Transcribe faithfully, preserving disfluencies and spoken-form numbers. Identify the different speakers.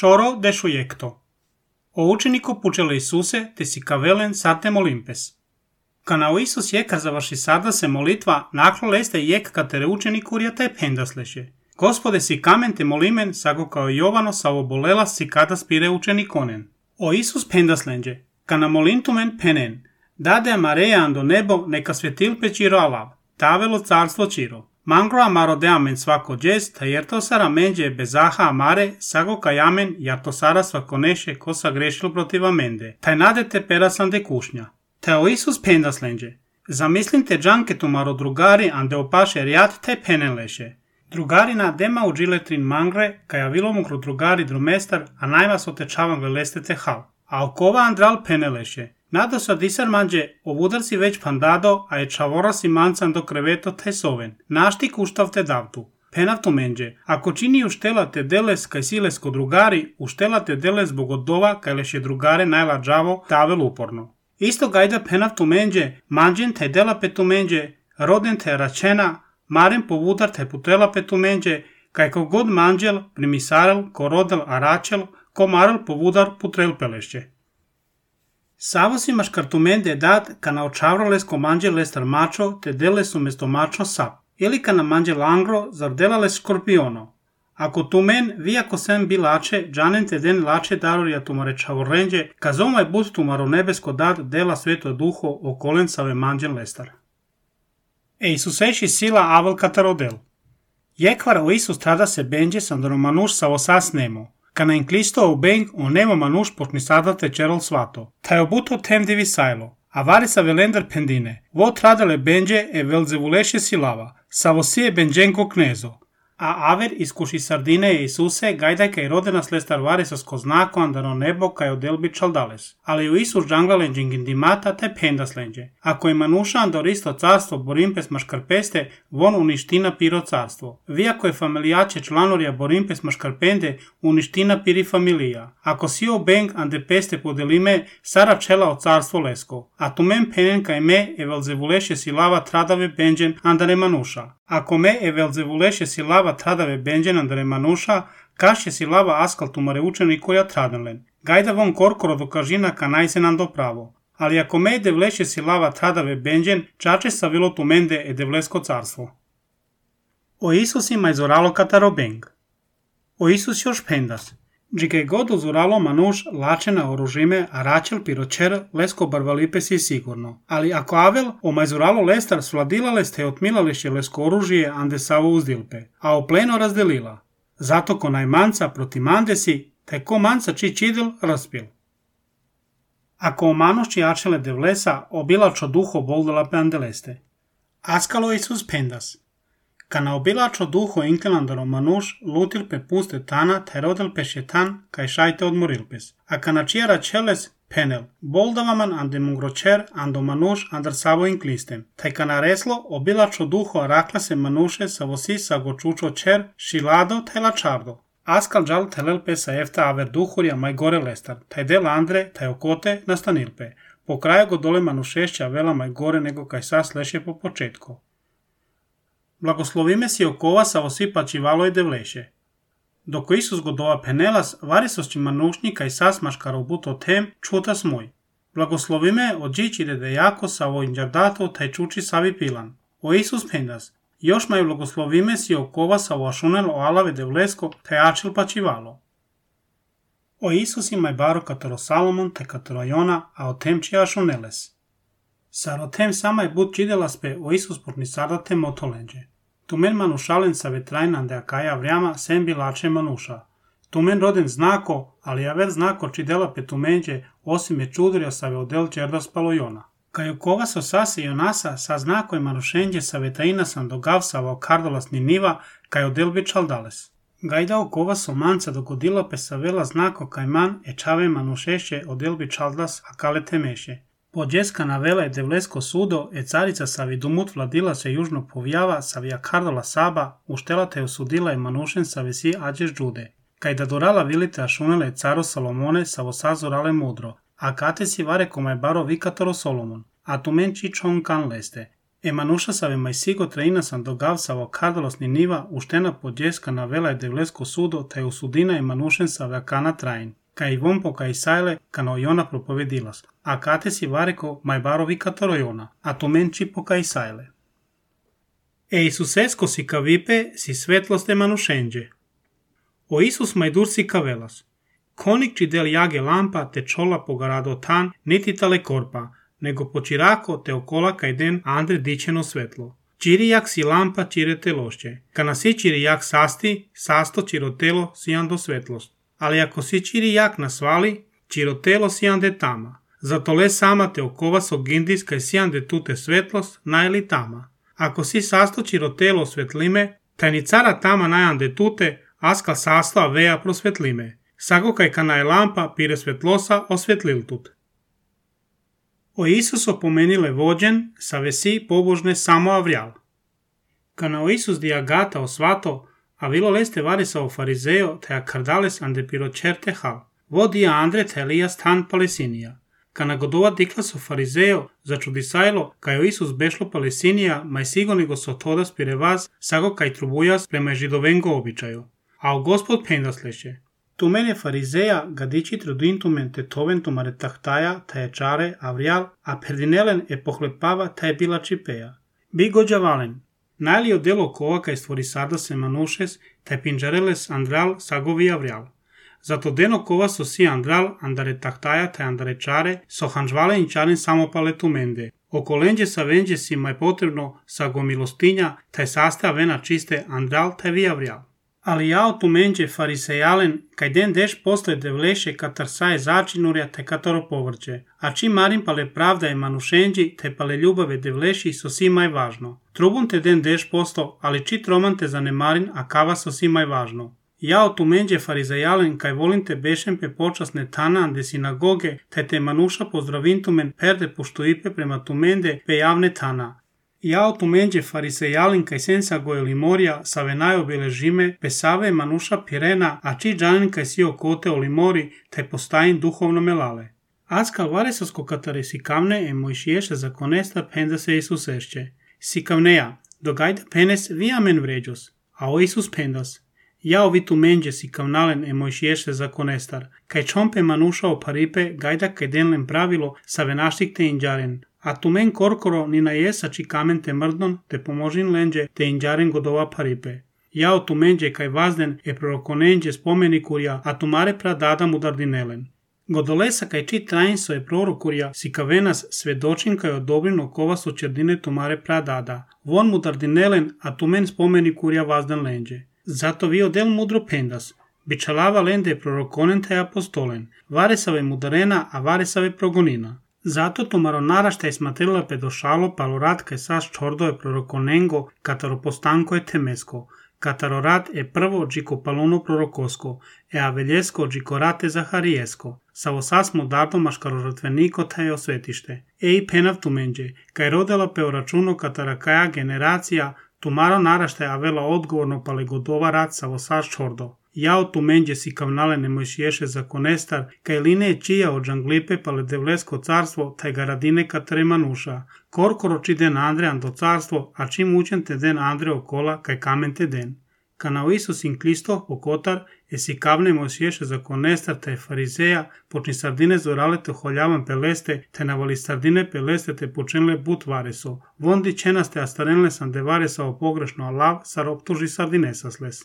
Speaker 1: Šoro dešujekto. O učeniku pučele Isuse, te si kavelen sate molimpes. Kana o Isus jeka završi sada se molitva, naklo leste jek katere učenik urjata je pendasleše. Gospode si kamen te molimen, sago kao Jovano sa obolela si kada spire učenikonen. O Isus pendaslenđe, kana molintumen penen, dade amareja ando nebo neka svetilpe čiro alav, tavelo carstvo čiro. Mangro amaro de amen svako džest, ta jerto sara menđe bezaha amare, sago ka jamen jarto sara svako neše ko sa grešil protiv amende. Taj nadete perasan de kušnja. Te o Isus pendaslenđe, zamislim te džanke tumaro drugari ande opaše rijat te penenleše. Drugarina dema u džiletrin mangre, kaja vilomukru drugari drumestar, a najma so tečavan veleste te hal. A okova andral peneleše. Nada sa disar manđe, ovudar si već pandado, a je čavora si mancan do kreveto te soven. Našti kuštav te davtu. Penav tu menđe, ako čini uštela te deles kaj silesko drugari, uštela te deles bogodova kaj leše drugare najla džavo tavel uporno. Isto gajda penav tu menđe, manđen te dela petu menđe, roden te račena, maren povudar te putrela petu menđe, kaj kogod manđel, primisarel, ko rodel aračel, ko marel povudar putrel pelešće. Savo si maškartumende dat kana očavrales ko manđe lestar mačo te deles umesto mačo sap, ili kana manđe langro zar delales skorpiono. Ako tumen vi ako sem bi lače, džanen te den lače darorja tumare čavorrenđe, kazomaj bud tumaro nebesko dat dela sveto duho okolen save manđen lestar. E Isuseši sila avel katarodel. Jekvar o Isus tada se benđe sandoro manuš sa osas nemo. Kana in Klisto obeng o nemo manuš potni sada te čerol svato. Taj obuto tem divi sajlo. A varisa velender pendine. Vo tradale benđe e velzevuleše silava. Sa vosije benđenko knezo. A aver iskuši sardine Isuse gajdaj kaj rodena slestar varisas ko znako andano nebo kaj odelbi čaldales. Ali u Isus džanglalen džingindimata te pendaslenđe. Ako je manuša andor isto carstvo borimpes maškarpeste, von uniština piro carstvo. Vi ako je familijače članorja borimpes maškarpende, uniština piri familija. Ako si o beng ande peste podelime, sara čela o carstvo lesko. A tu men penen kaj me e velzevuleše silava tradave benđen andare manuša. Ako me e velzevuleše silava tradave benđen andare manuša, kaše silava askal tumare učeni koja tradanlen. Gajda von korkoro do kažina ka najsen ando pravo. Ali ako me e devleše silava tradave benđen, čače sa vilo tumende e devlesko carstvo. O Isus ima izoralo katarobeng. O Isus još pendas. Džike god uzuralo manuš lačena oružime, a račel piročer lesko barvalipe si sigurno. Ali ako avel o majzuralo lestar svladilale ste otmilališe lesko oružije ande savo uzdilpe, a o pleno razdelila. Zato ko najmanca proti mandesi, te ko manca či čidil raspil. Ako o manušći jačele devlesa, obilačo duho boldala pe andeleste. Askalo Isus pendas. Kana obilačo duho inkelandaro manuš, lutil pe puste tana, te rodel pe šetan, kaj šajte odmorilpes. A kana čijara čeles, penel, boldavaman ande mungročer, ando manuš andar savo inklistem. Taj kana reslo, obilačo duho arakla se manuše sa vosi sa gočučo čer, šilado, taj lačardo. Askal džal telel pe sa efta aver duhurja maj gore lestar, taj del andre, taj okote nastanilpe. Po kraju go dole manušešća vela maj gore nego kaj sa sleše po početko. Blagoslovime si okova sa osipači valo i devleše. Doko Isus godova penelas, varisosći manušnika i sasmaškar obuto tem, čutas moj. Blagoslovime od džičire de jako sa ovo inđardato taj čuči savi pilan. O Isus pendas. Još maju blagoslovime si okova sa ovo ašunel o alave devlesko, taj ačil pačivalo. O Isus imaj baro katero Salomon te katero Jona, a o tem čija ašuneles. Sarotem samaj bud čidelaspe o Isus porni sardate motolenđe. Tumen manušalen sa vetrajna de akaja vrjama sem bilače manuša. Tumen roden znako, ali aver znako čidela pe tumenđe, osim je čudrja sa veodel čerdas palojona. Kaj ukova so sase Jonasa sa znako je manušenđe sa vetrajna sam dogav sa vao kardolas ni niva, kaj odel bi čaldales. Gajda okova so manca dogodila pe sa vela znako kaj man e čave manušeše odel bi čaldas akale temeše. Podjeska navela je devlesko sudo, e carica savi dumut vladila se južno povjava, savija kardola saba, uštela te osudila je manušen savi si ađeš džude. Kaj da dorala vilite ašunele caro Salomone, savo sazorale mudro, a kate si vare komaj baro vikatoro Solomon, a tu men či čon kan leste. Emanuša save mai sigo traina sam dogav savo kardalos Niniva uštena podjeska na vela devlesko sudo taj usudina Emanušen save akana train. Kaj von po kaj sajle kano Jona propovedilas, a kate si vareko mai barovi kataro Jona, a to menči po kaj sajle. E Isusesko si kavipe si svetlost Emanušenđe. O Isus majdur si kavelas. Konik či del jage lampa te čola pogarado tan, niti tale korpa, nego počirako te okola kaj den andre dičeno svetlo. Čiri jak si lampa čire telošće. Kana si čiri jak sasti, sasto čiro telo si ando svetlost. Ali ako si čiri jak nasvali, čiro telo si ande tama. Zato le sama te okova so gindis kaj si ande tute svetlost, najli tama. Ako si sasto čiro telo svetlime, taj ni cara tama najande tute, askal sasto aveja prosvetlime. Sago kaj kana je lampa pire svetlosa osvetlil tut. O Isus opomenile vođen, sa vesi pobožne samo avrijal. Kana o Isus diagata osvato, a vilo leste varisa o farizeo, te a kardales ande pirocerte hal. Vodia andre te Elijas tan Palesinija. Kana godova diklas o farizeo, začudisajlo, kaj o Isus bešlo Palesinija, maj sigoni go so todas pirevaz, sago kaj trubujas prema židovengo običaju. A o Gospod pendas leše. Tu mene farizeja gadići trudintumen te toven tumare tahtaja, ta je čare, avrijal, a perdinelen e pohlepava ta je bila čipeja. Bi gođa valen. Najlio delo kova kaj stvori sada se manušes, ta je pinđareles andral sagovi avrijal. Zato deno kova so si andral, andare tahtaja, ta andare čare, so hanžvale in čaren samo pale tumende. Oko lenđe sa venđe si maj potrebno sago milostinja, ta je saste vena čiste andral, ta je vi avrijal. Ali jao tu menđe farisejalen, kaj den deš posle devleše katar saje začinurja te kataro povrće, a čim marim pale pravda je manušenđi te pale ljubave devleši so si maj važno. Trubun te den deš posto, ali čit roman te zanemarin, a kava so si maj važno. Jao tu menđe farisejalen, kaj volim te bešem pe počasne tana ande sinagoge, te te manuša pozdravintumen perde pošto ipe prema tumende pe javne tana. Jao tu menđe farisejalin kaj sensa goje limorja, save najobile žime, pesave manuša pirena, a či džanin kaj si okote o limori, te postajin duhovno melale. Askal varesasko katare sikavne e mojšiješe zakonesta penda se Isusešće. Sikavneja, dogajda penes vi amen vređos, a o Isus pendas. Jao vi tu menđe sikavnalen e mojšiješe zakonestar, kaj čompe manuša o paripe, gajda kaj denlen pravilo, save naštik te inđaren. A tu men korkoro ni na jesa či kamen te mrdnon, te pomožin lenđe, te inđaren godova paripe. Jao tu menđe kaj vazden e prorokonenđe spomeni kurja, a tu mare pradada mudardinelen. Godolesa kaj či trajnso e prorokurja, si kavenas svedočin kaj odobrino kova su čerdine tu mare pradada. Von mudardinelen, a tu men spomeni kurja vazden lenđe. Zato vi odel mudro pendas. Bičalava lende e prorokonen te apostolen. Varesave mudarena, a varesave progonina. Zato tomaro narašta je smatrila pedošalo palorat kaj saš čordo je prorokonengo, kataro postanko je temesko, kataro rat je prvo džiko paluno prorokosko, e aveljesko džiko rate zaharijesko, savo sas modardo maškaro žrtveniko taj osvetište. E i penav tumenđe, kaj rodela peo računo katara kaja generacija, tomaro narašta je avela odgovorno pale godova rat savo saš čordo. Jao tu menđe si kavnale ne mojšiješe zakonestar, kaj line je čija od džanglipe pale devlesko carstvo, taj garadine katare manuša. Korkoro či den Andre ando carstvo, a čim učen te den Andre okola, kaj kamen te den. Kana o Isus in Kristo okotar, e si kavne mojšiješe zakonestar, taj farizeja, počni sardine zorale te holjavan peleste, te navali sardine peleste te počinle but vareso. Vondi čenaste astarenle sam de varesa o pogrešno alav, sar optuži sardinesa sles.